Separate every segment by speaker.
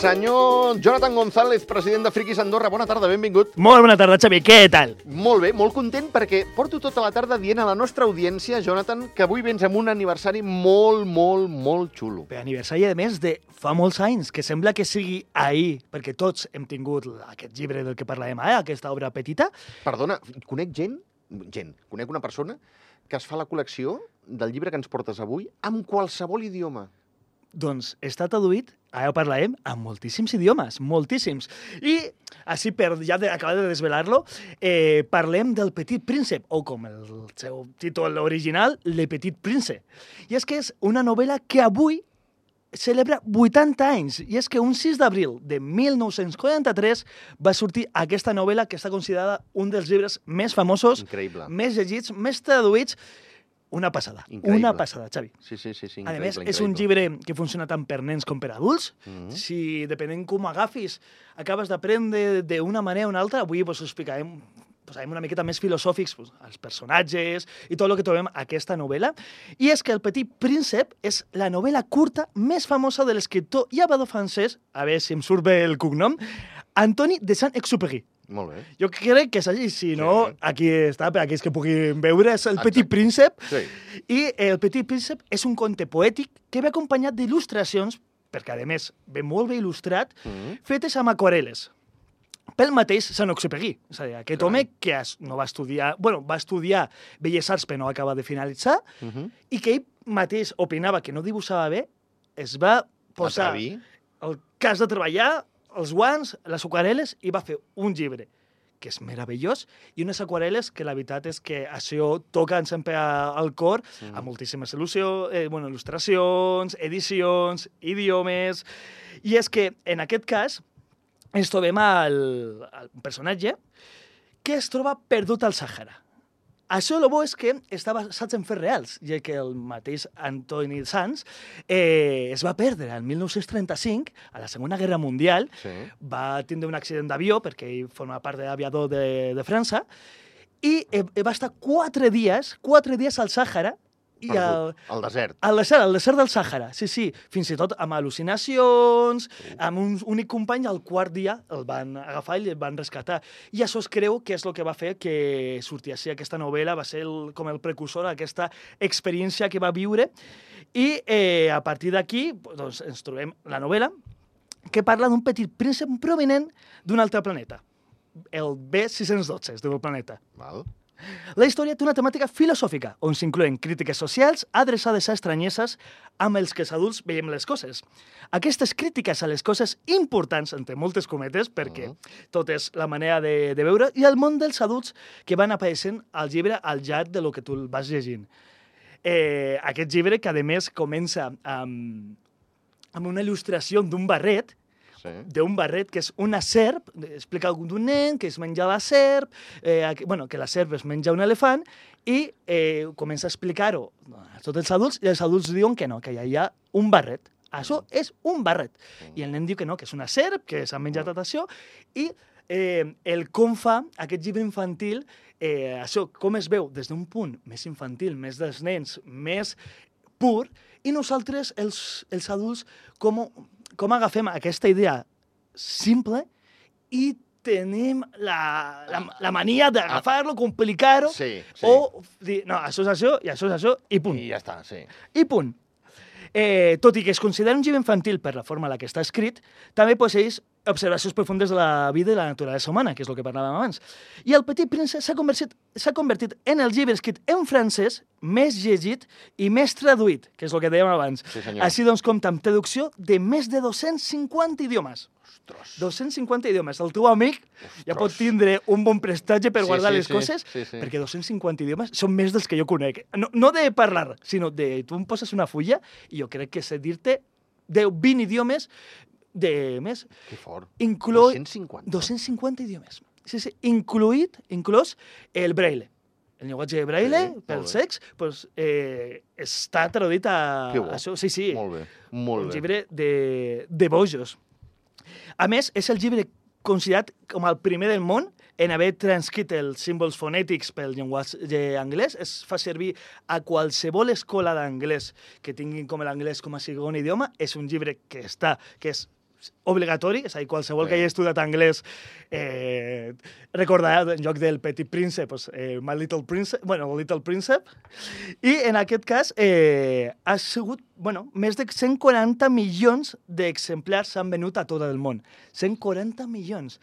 Speaker 1: Senyor Jonathan González, president de Friquis Andorra, bona tarda, benvingut.
Speaker 2: Molt bona tarda, Xavi, què tal?
Speaker 1: Molt bé, molt content perquè porto tota la tarda dient a la nostra audiència, Jonathan, que avui vens amb un aniversari molt xulo.
Speaker 2: Per aniversari, a més, de fa molts anys, que sembla que sigui ahir, perquè tots hem tingut aquest llibre del que parlàvem ara, aquesta obra petita.
Speaker 1: Perdona, conec conec una persona que es fa la col·lecció del llibre que ens portes avui amb qualsevol idioma.
Speaker 2: Doncs està traduït, ara ho parlarem, en moltíssims idiomes, moltíssims. I, així per ja acabar de desvelar-lo, parlem del Petit Príncep, o com el seu títol original, Le Petit Prince. I és que és una novel·la que avui celebra 80 anys, i és que un 6 d'abril de 1943 va sortir aquesta novel·la que està considerada un dels llibres més famosos,
Speaker 1: Increïble.
Speaker 2: més llegits, més traduïts. Una passada,
Speaker 1: Increïble.
Speaker 2: una passada, Xavi.
Speaker 1: Sí, increïble.
Speaker 2: A més, és un llibre que funciona tant per nens com per adults. Si, depenent com agafis, acabes d'aprendre d'una manera o una altra, avui us explicarem una miqueta més filosòfics, els personatges i tot el que trobem a aquesta novel·la. I és que El Petit Príncep és la novel·la curta més famosa de l'escriptor i aviador francès, a veure si em surt bé el cognom, Antoine de Saint-Exupéry.
Speaker 1: Molt bé.
Speaker 2: Jo crec que és així, si no,
Speaker 1: Sí.
Speaker 2: aquí està, per aquells que puguin veure, és El
Speaker 1: Exacte.
Speaker 2: Petit Príncep.
Speaker 1: Sí.
Speaker 2: I El Petit Príncep és un conte poètic que ve acompanyat d'il·lustracions, perquè a més ve molt bé il·lustrat, fetes amb aquarel·les. Pel mateix Saint-Exupéry, és a dir, aquest home que no va estudiar, va estudiar Belles Arts però no va acabar de finalitzar, i que ell mateix opinava que no dibuixava bé, es va posar
Speaker 1: Atrevir.
Speaker 2: el cas de treballar, els guants, les aquarel·les, i va fer un llibre que és meravellós, i unes aquarel·les que la veritat és que això toquen sempre al cor, amb moltíssimes il·lustracions, edicions, idiomes, i és que en aquest cas ens trobem un personatge que es troba perdut al Sàhara. Això el bo és que està basat en fets reals, ja que el mateix Antoni Sans es va perdre el 1935, a la Segona Guerra Mundial, va tindre un accident d'avió, perquè ell forma part de l'aviador de França, i va estar 4 dies al Sàhara,
Speaker 1: Al desert.
Speaker 2: al desert del Sàhara, sí, fins i tot amb al·lucinacions, amb un únic company, al quart dia el van agafar i el van rescatar. I això es creu que és el que va fer que sortís així aquesta novel·la, va ser com el precursor d'aquesta experiència que va viure. I a partir d'aquí doncs, ens trobem la novel·la que parla d'un petit príncep provinent d'un altre planeta, el B612, es diu el planeta.
Speaker 1: Val.
Speaker 2: La història té una temàtica filosòfica, on s'inclouen crítiques socials adreçades a estranyesses amb els que els adults veiem les coses. Aquestes crítiques a les coses importants, entre moltes cometes, perquè tot és la manera de veure, i el món dels adults que van apareixent al llibre al llarg de lo que tu vas llegint. Aquest llibre, que a més comença amb una il·lustració d'un barret, que és una serp, explica d'un nen que es menja la serp, que la serp es menja un elefant, i comença a explicar-ho a tots els adults, i els adults diuen que no, que hi ha un barret. Això és un barret. I el nen diu que no, que és una serp, que s'ha menjat tot això, i el com fa aquest llibre infantil, això com es veu des d'un punt més infantil, més dels nens, més pur, i nosaltres, els adults, com agafem aquesta idea simple i tenim la mania d'agafar-lo, complicar-ho, o dir, no, això és això, i això és això, i punt.
Speaker 1: I ja està, sí.
Speaker 2: I punt. Tot i que es considera un llibre infantil per la forma en la que està escrit, també posseeix observacions profundes de la vida i la naturalesa humana, que és el que parlàvem abans. I El Petit Príncep s'ha convertit en el llibre escrit en francès més llegit i més traduït, que és el que dèiem abans.
Speaker 1: Sí, senyor.
Speaker 2: Així doncs compta amb traducció de més de 250 idiomes.
Speaker 1: Ostres.
Speaker 2: 250 idiomes. El teu amic ja pot tindre un bon prestatge per guardar les coses, perquè 250 idiomes són més dels que jo conec. No de parlar, sinó de... Tu em poses una fulla i jo crec que sé dir-te 10-20 idiomes de més.
Speaker 1: Que fort.
Speaker 2: 250? 250 idiomes. Sí, inclòs el braille. El llenguatge de braille, pels cecs, està traduït a això. Sí.
Speaker 1: Molt bé.
Speaker 2: Un llibre de bojos. A més, és el llibre considerat com el primer del món en haver transcrit els símbols fonètics pel llenguatge anglès. Es fa servir a qualsevol escola d'anglès que tinguin com l'anglès com a segon idioma. És un llibre que és obligatori, és a dir, qualsevol que hagi estudiat anglès recordarà en lloc del Petit Príncep, pues, My Little Príncep, bueno, Little Príncep, i en aquest cas ha sigut, bueno, més de 140 milions d'exemplars s'han venut a tot el món. 140 milions.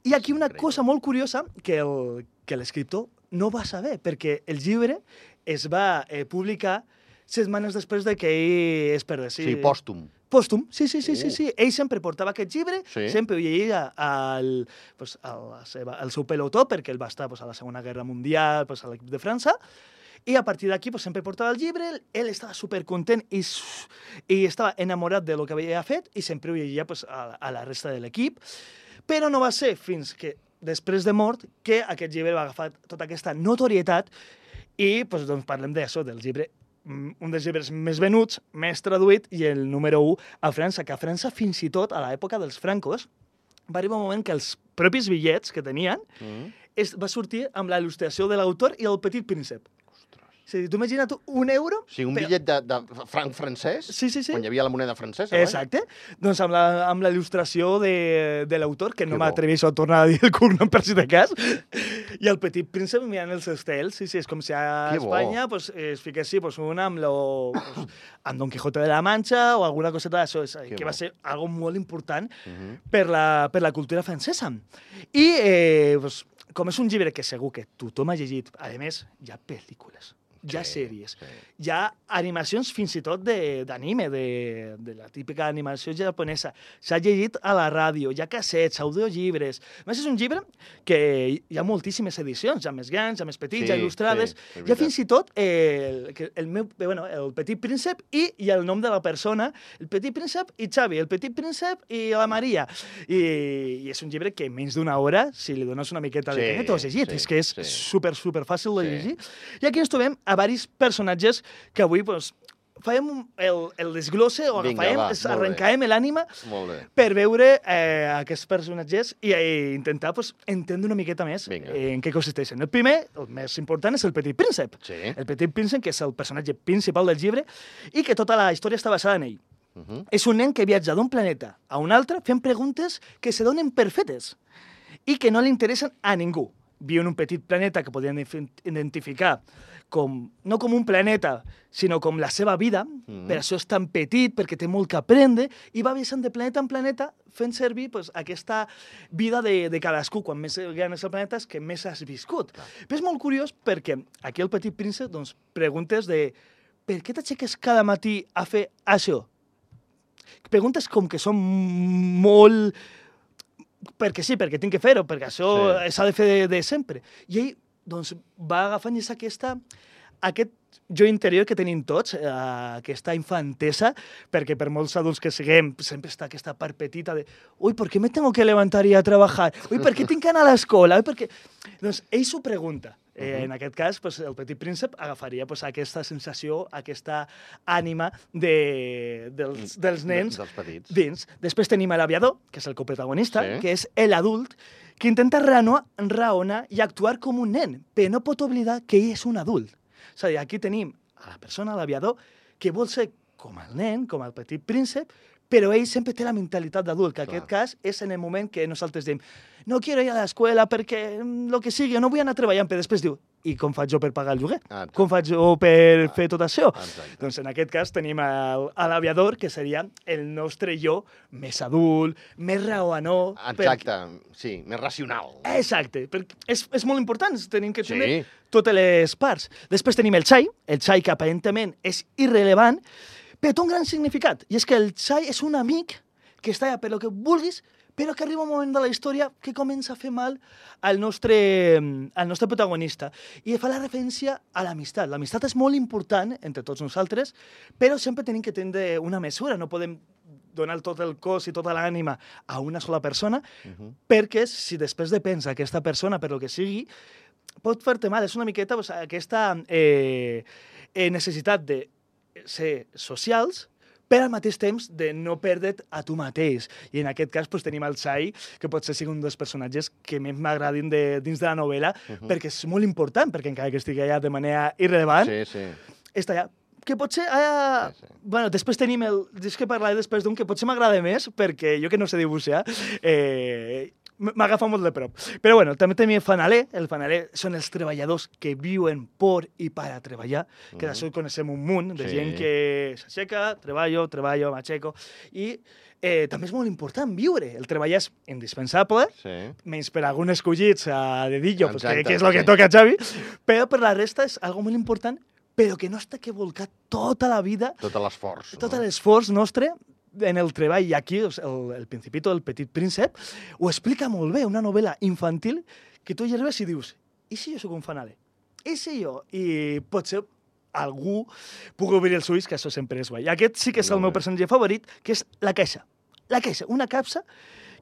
Speaker 2: I aquí una cosa molt curiosa que l'escriptor no va saber, perquè el llibre es va publicar setmanes després de que ell es perdés.
Speaker 1: Sí, pòstum.
Speaker 2: Pòstum, sí. Ell sempre portava aquest llibre, sempre ho llegia al seu pelotó, perquè ell va estar a la Segona Guerra Mundial, a l'equip de França, i a partir d'aquí sempre portava el llibre, ell estava supercontent i estava enamorat del que havia fet i sempre ho llegia a la resta de l'equip, però no va ser fins que després de mort que aquest llibre va agafar tota aquesta notorietat i doncs parlem d'això, del llibre, un dels llibres més venuts, més traduït, i el número 1 a França, que a França fins i tot, a l'època dels francos, va arribar un moment que els propis bitllets que tenien va sortir amb la il·lustració de l'autor i el Petit Príncep. És a dir, tu imagina't €1...
Speaker 1: Sí, un bitllet de franc francès, quan hi havia la moneda francesa.
Speaker 2: Exacte. Doncs amb la il·lustració de l'autor, que no m'atreveixo a tornar a dir el cognom per si de cas, i el Petit Príncep mirant els estels. Sí, és com si a Espanya es fiquessi un amb Don Quijote de la Mancha o alguna coseta d'això, que va ser algo molt important per la cultura francesa. I com és un llibre que segur que tothom ha llegit, a més, hi ha pel·lícules, hi ha sèries, hi ha animacions fins i tot d'anime, de la típica animació japonesa. S'ha llegit a la ràdio, hi ha cassets, audiollibres. A més, és un llibre que hi ha moltíssimes edicions, hi ha més grans, hi ha més petits, hi ha il·lustrades. Hi ha fins i tot el Petit Príncep i el nom de la persona, el Petit Príncep i Xavi, el Petit Príncep i la Maria. I és un llibre que en menys d'una hora, si li dones una miqueta de temps, t'ho has llegit. És que és super fàcil de llegir. I aquí ens trobem a diversos personatges que avui farem el desglosse o arrencarem l'ànima per veure aquests personatges i intentar entendre una miqueta més en què consisteixen. El primer, el més important, és el Petit Príncep. El Petit Príncep, que és el personatge principal del llibre i que tota la història està basada en ell. És un nen que viatja d'un planeta a un altre fent preguntes que se donen per fetes i que no li interessen a ningú. Viu en un petit planeta que podien identificar no com un planeta, sinó com la seva vida, per això és tan petit, perquè té molt que aprendre, i va viatjant de planeta en planeta fent servir aquesta vida de cadascú. Quan més gran és el planeta, és que més has viscut. Però és molt curiós perquè aquí el Petit Príncep preguntes de per què t'aixeques cada matí a fer això? Preguntes com que són molt... perquè sí, perquè tinc que fer-ho, perquè això s'ha de fer de sempre. I ell va agafant aquest jo interior que tenim tots, aquesta infantesa, perquè per molts adults que siguem sempre està aquesta part petita de «Ui, ¿por qué me tengo que levantar y a trabajar? Ui, ¿per què tinc que anar a l'escola? Doncs ell s'ho pregunta. En aquest cas, el Petit Príncep agafaria aquesta sensació, aquesta ànima dels nens dins. Després tenim l'aviador, que és el coprotagonista, que és l'adult, que intenta raonar i actuar com un nen, però no pot oblidar que ell és un adult. És a dir, aquí tenim a la persona, l'aviador, que vol ser com el nen, com el Petit Príncep, però ell sempre té la mentalitat d'adult, que en aquest cas és en el moment que nosaltres diem no quiero ir a l'escola perquè lo que sigui, no vull anar treballant, però després diu i com faig jo per pagar el lloguer? Com faig jo per fer tot això? Doncs en aquest cas tenim l'aviador, que seria el nostre jo més adult, més raonador.
Speaker 1: Exacte, sí, més racional.
Speaker 2: Exacte, és molt important, tenim que tenir totes les parts. Després tenim el xai que aparentment és irrellevant, però té un gran significat, i és que el xai és un amic que està allà per lo que vulguis, però que arriba un moment de la història que comença a fer mal al nostre protagonista. I fa la referència a l'amistat. L'amistat és molt important entre tots nosaltres, però sempre tenim que tindre una mesura. No podem donar tot el cos i tota l'ànima a una sola persona, perquè si després depens d'aquesta persona per lo que sigui, pot fer-te mal. És una miqueta aquesta necessitat de ser socials, però al mateix temps de no perdre't a tu mateix. I en aquest cas tenim el xai, que potser sigui un dels personatges que més m'agradin dins de la novel·la, perquè és molt important, perquè encara que estigui allà de manera irrellevant, està allà que potser... Bueno, després tenim el... És que parlaré després d'un que potser m'agrada més, perquè jo que no sé dibuixar, m'agafa molt de prop. Però bueno, també tenim el fanaler. El fanaler són els treballadors que viuen per i per a treballar, que d'això coneixem un munt, de gent que s'aixeca, treballo, m'aixeco, i també és molt important viure. El treball és indispensable, menys per alguns escollits a dedillo, que és el que toca a Xavi, però per la resta és algo molt important, però que no està que volcat tota la vida...
Speaker 1: Tot l'esforç.
Speaker 2: Tot l'esforç nostre en el treball. I aquí el Principito, el Petit Príncep, ho explica molt bé, una novel·la infantil que tu hi arribes i dius, i si jo soc un fanaler? I si jo? I potser algú pugui obrir els ulls, que això sempre és guai. I aquest sí que és el meu personatge favorit, que és la Caixa. La Caixa, una capsa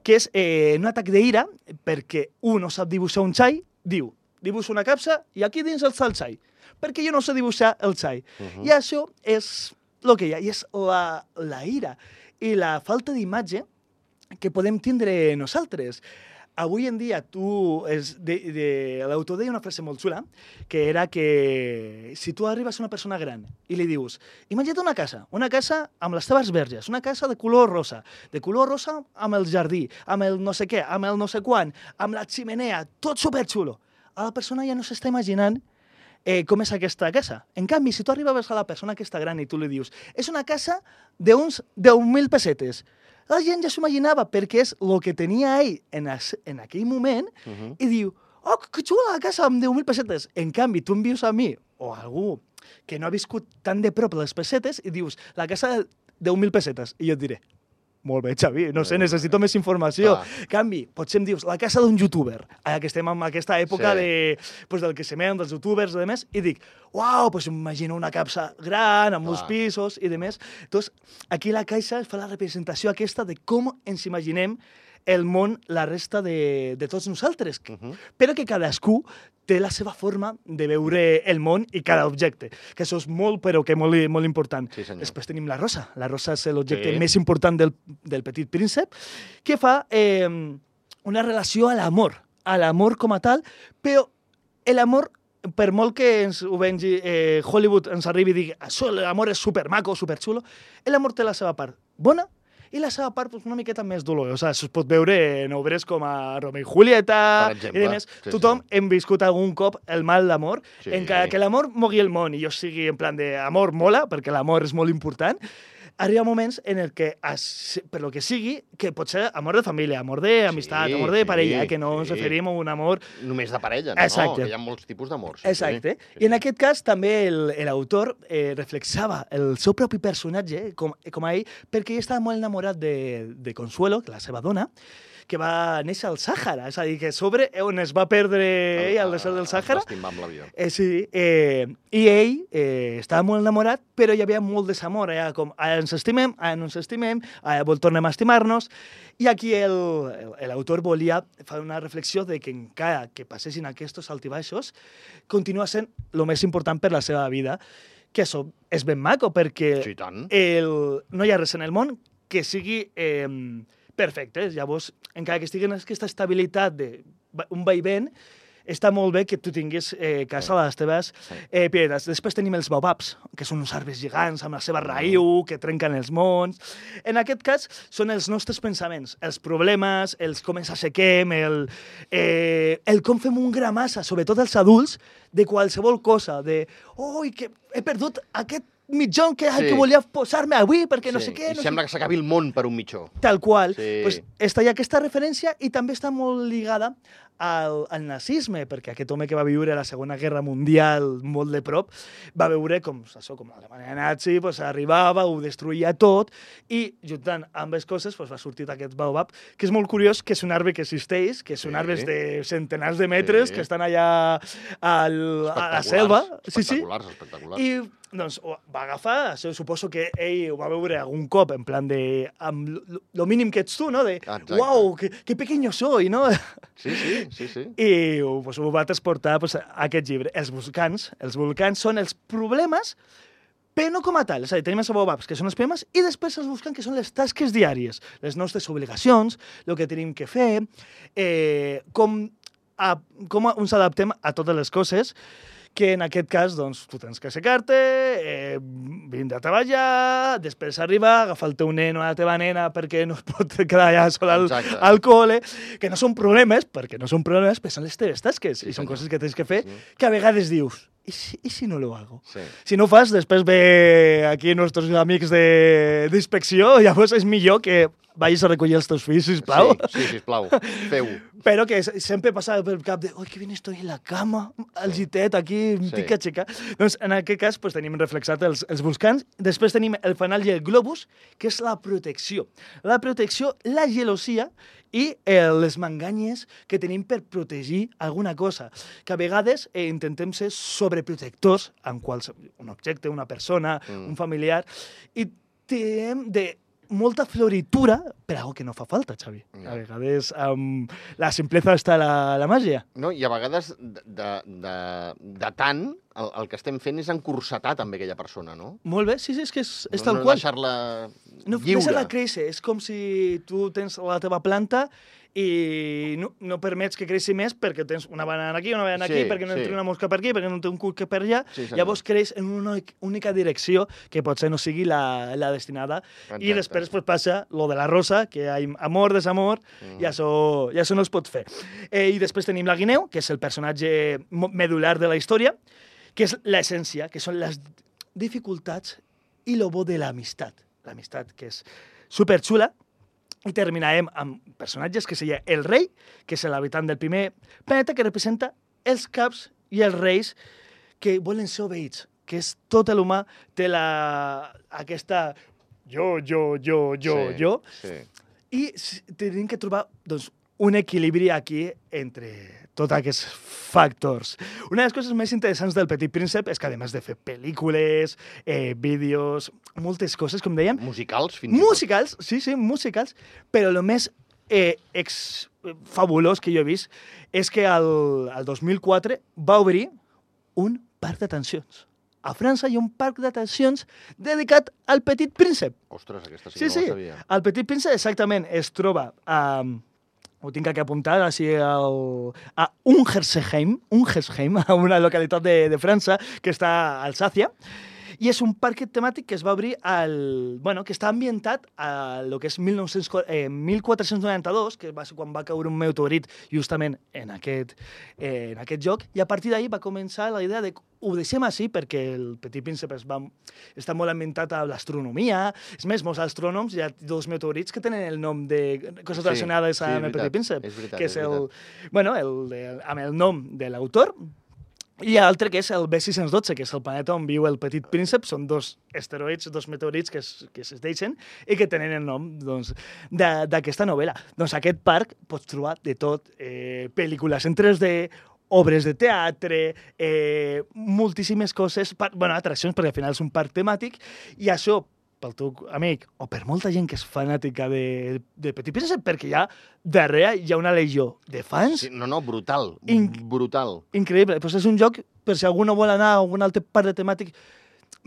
Speaker 2: que és un atac d'ira perquè un no sap dibuixar un xai, diu, dibuixo una capsa i aquí dins està el xai, perquè jo no sé dibuixar el xai. I això és el que hi ha, i és la ira i la falta d'imatge que podem tindre nosaltres. Avui en dia, l'autor deia una frase molt xula, que era que si tu arribes a una persona gran i li dius, imagina't una casa amb les teves verges, una casa de color rosa amb el jardí, amb el no sé què, amb el no sé quan, amb la ximenea, tot superxulo. A la persona ja no s'està imaginant com és aquesta casa. En canvi, si tu arribaves a la persona que està gran i tu li dius, és una casa d'uns 10.000 pessetes, la gent ja s'ho imaginava perquè és el que tenia ell en aquell moment i diu, oh, que xula la casa amb 10.000 pessetes. En canvi, tu em vius a mi o a algú que no ha viscut tan de prop les pessetes i dius, la casa de 10.000 pessetes. I jo et diré, molt bé, Xavi, no sé, necessito més informació. En canvi, potser em dius, la casa d'un youtuber, que estem en aquesta època del que semem, dels youtubers i demés, i dic, uau, doncs m'imagino una capsa gran, amb molts pisos i demés. Doncs aquí la Caixa fa la representació aquesta de com ens imaginem el món, la resta de tots nosaltres, però que cadascú té la seva forma de veure el món i cada objecte, que això és molt, però que molt important. Després tenim la Rosa. La Rosa és l'objecte més important del Petit Príncep, que fa una relació a l'amor com a tal, però l'amor, per molt que ho vengi Hollywood ens arribi i digui això, l'amor és supermaco, superxulo, l'amor té la seva part bona i la seva part una miqueta més dolorosa. Això es pot veure en obres com a Romeo i Julieta i demés. Tothom hem viscut algun cop el mal d'amor, encara que l'amor mogui el món i jo sigui en plan de amor mola, perquè l'amor és molt important, arriba moments en el que, per lo que sigui, que pot ser amor de família, amor d'amistat, amor de parella, que no ens referim a un amor...
Speaker 1: Només de parella, no? Que hi ha molts tipus d'amor.
Speaker 2: Exacte. I en aquest cas també l'autor reflexava el seu propi personatge com a ell, perquè ell estava molt enamorat de Consuelo, la seva dona, que va néixer al Sàhara, és a dir, que sobre on es va perdre ell al desert del Sàhara.
Speaker 1: L'estimar amb l'avió.
Speaker 2: Sí, i ell estava molt enamorat, però hi havia molt desamor, com ara ens estimem, ara no ens estimem, ara tornem a estimar-nos, i aquí l'autor volia fer una reflexió de que encara que passessin aquests altibaixos, continua sent el més important per la seva vida, que això és ben maco, perquè no hi ha res en el món que sigui perfecte. Llavors, encara que estigui en aquesta estabilitat d'un vaivent, està molt bé que tu tinguis casa a les teves propietats. Després tenim els baobabs, que són uns arbres gegants amb la seva raïu, que trenquen els mons. En aquest cas, són els nostres pensaments, els problemes, els com ens assequem, el com fem un gra massa, sobretot els adults, de qualsevol cosa, que he perdut aquest mitjó que volia posar-me avui perquè no sé què...
Speaker 1: I sembla que s'acabi el món per un mitjó.
Speaker 2: Tal qual. Està hi aquesta referència i també està molt lligada al nazisme, perquè aquest home que va viure la Segona Guerra Mundial molt de prop va veure com l'Alemanya nazi arribava, ho destruïa tot, i juntant ambes coses va sortir aquest baobab, que és molt curiós, que és un arbre que existeix, que són arbres de centenars de metres, que estan allà a la selva.
Speaker 1: Espectaculars.
Speaker 2: I doncs va agafar, suposo que ell ho va veure algun cop, en plan de... amb lo mínim que ets tu, no? De, uau, que pequeño soy, no?
Speaker 1: Sí.
Speaker 2: I ho va transportar a aquest llibre. Els volcans són els problemes, però no com a tal. És a dir, tenim els baobabs, que són els problemes, i després els volcans, que són les tasques diàries, les nostres obligacions, el que tenim que fer, com ens adaptem a totes les coses, que en aquest cas, doncs, tu tens que aixecar-te, vindre a treballar, després arribar, agafar el teu nen o la teva nena perquè no es pot quedar allà sol al col·le, que no són problemes, perquè no són problemes, però són les teves tasques, i són coses que tens que fer, que a vegades dius, ¿y si no lo hago? Sí. Si no ho fas, després ve aquí nostres amics d'inspecció, llavors és millor que vagis a recollir els teus fills, sisplau.
Speaker 1: Sí, sisplau, feu-ho.
Speaker 2: Però que sempre passa pel cap de «Oi, que ben estoy en la cama, al gitet, aquí, em tinc que aixecar». Doncs en aquest cas tenim reflexat els volcans. Després tenim el fanal i el globus, que és la protecció. La protecció, la gelosia i les manganyes que tenim per protegir alguna cosa. Que a vegades intentem ser sobreprotectors en un objecte, una persona, un familiar, i tenim de molta floritura per algo que no fa falta, Xavi. A vegades la simpleza està la màgia.
Speaker 1: No, i a vegades de tant el que estem fent és encursetar també aquella persona, no?
Speaker 2: Molt bé, sí, és que és tal qual.
Speaker 1: No deixar-la lliure.
Speaker 2: No deixar-la créixer. És com si tu tens la teva planta i no permets que creixi més perquè tens una banana aquí, una banana aquí, perquè no entra una mosca per aquí, perquè no té un cuc per allà. Llavors creix en una única direcció que potser no sigui la destinada. I després passa lo de la rosa, que hi ha amor, desamor, i això no es pot fer. I després tenim la guineu, que és el personatge medular de la història, que és l'essència, que són les dificultats i lo bo de l'amistat. L'amistat, que és superxula. I terminarem amb personatges que seria el rei, que és l'habitant del primer planeta, que representa els caps i els reis que volen ser obeïts, que és tot l'humà té aquesta jo. I tenim que trobar doncs, un equilibri aquí entre tots aquests factors. Una de les coses més interessants del Petit Príncep és que, a més de fer pel·lícules, vídeos, moltes coses, com dèiem...
Speaker 1: Musicals, fins i tot.
Speaker 2: Musicals, sí, musicals, però el més fabulós que jo he vist és que el 2004 va obrir un parc d'atencions. A França hi ha un parc d'atencions dedicat al Petit Príncep.
Speaker 1: Ostres, aquesta sí que no la sabia.
Speaker 2: El Petit Príncep exactament es troba ho tinc aquí apuntat, a Ungersheim, a una localitat de França que està a Alsàcia, i és un parc temàtic que es va obrir que està ambientat a lo que és 1492, que va ser quan va caure un meteorit justament en aquest lloc, i a partir d'ahir va començar la idea de ho deixem així perquè el Petit Príncep està molt ambientat a l'astronomia. És més, molts astrònoms hi ha dos meteorits que tenen el nom de coses relacionades amb el Petit Príncep, que és amb el nom de l'autor. I l'altre que és el B612, que és el planeta on viu el Petit Príncep. Són dos asteroids, dos meteorits que es deixen i que tenen el nom d'aquesta novel·la. Doncs aquest parc pots trobar de tot, pel·lícules en 3D, obres de teatre, moltíssimes coses, atraccions, perquè al final és un parc temàtic, i això, pel teu amic, o per molta gent que és fanàtica de Petit Príncep, perquè darrere hi ha una legió de fans.
Speaker 1: Sí, brutal, brutal.
Speaker 2: Increïble. Pues és un joc, per si algú no vol anar a algun altre parc de temàtic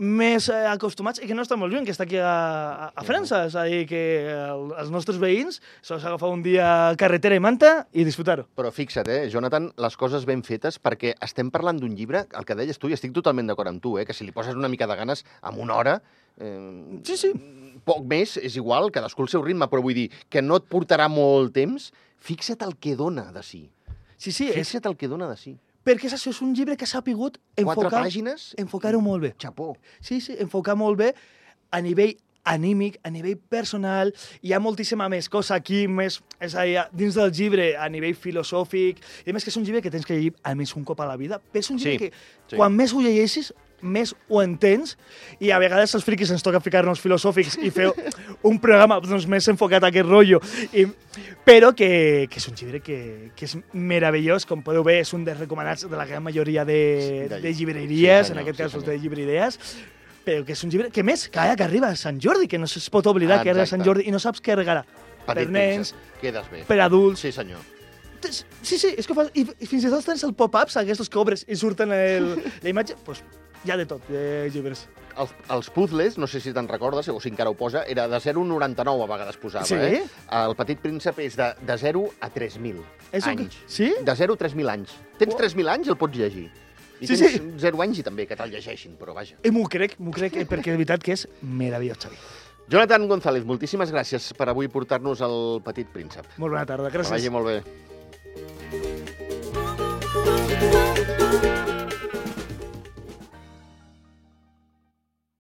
Speaker 2: més acostumats, i que no està molt lluny, que està aquí a França. És a dir, que els nostres veïns s'ha d'agafar un dia carretera i manta i disfrutar-ho.
Speaker 1: Però fixa't, Jonathan, les coses ben fetes, perquè estem parlant d'un llibre, el que deies tu, i estic totalment d'acord amb tu, que si li poses una mica de ganes, en una hora...
Speaker 2: Sí.
Speaker 1: Poc més, és igual, cadascú el seu ritme, però vull dir que no et portarà molt temps. Fixa't el que dona de si.
Speaker 2: Sí.
Speaker 1: Fixa't el que dona de si.
Speaker 2: Perquè això és un llibre que s'ha pogut enfocar-ho molt bé.
Speaker 1: Xapó.
Speaker 2: Sí, enfocar molt bé a nivell anímic, a nivell personal. Hi ha moltíssima més cosa aquí, més, és a dir, dins del llibre, a nivell filosòfic. I a més que és un llibre que tens que llegir almenys un cop a la vida. Però és un llibre que quan més ho llegeixis, més ho entens, i a vegades els friquis ens toca ficar-nos filosòfics i fer un programa més enfocat a aquest rotllo, però que és un llibre que és meravellós. Com podeu ver, és un dels recomanats de la gran majoria de llibreries, en aquest cas de llibreries, però que és un llibre que més, que arriba a Sant Jordi, que no es pot oblidar que arriba a Sant Jordi i no saps què regalar. Per nens, per adults...
Speaker 1: Sí, senyor.
Speaker 2: Sí, és que i fins i tot tens el pop-ups, aquests que obres i surten la imatge, doncs hi ha de tot, de llibres.
Speaker 1: Els puzzles, no sé si te'n recordes, o si encara ho posa, era de 0,99 a vegades posava.
Speaker 2: Sí?
Speaker 1: El Petit Príncep és de 0 a 3.000 anys.
Speaker 2: Sí?
Speaker 1: De 0 a 3.000 anys. Tens 3.000 anys, el pots llegir. I
Speaker 2: Sí,
Speaker 1: tens
Speaker 2: sí.
Speaker 1: 0 anys i també que te'l llegeixin, però vaja.
Speaker 2: M'ho crec, perquè de veritat que és meravellós, Xavi.
Speaker 1: Jonathan González, moltíssimes gràcies per avui portar-nos el Petit Príncep.
Speaker 2: Molt bona tarda,
Speaker 1: Que
Speaker 2: gràcies.
Speaker 1: vagi molt bé.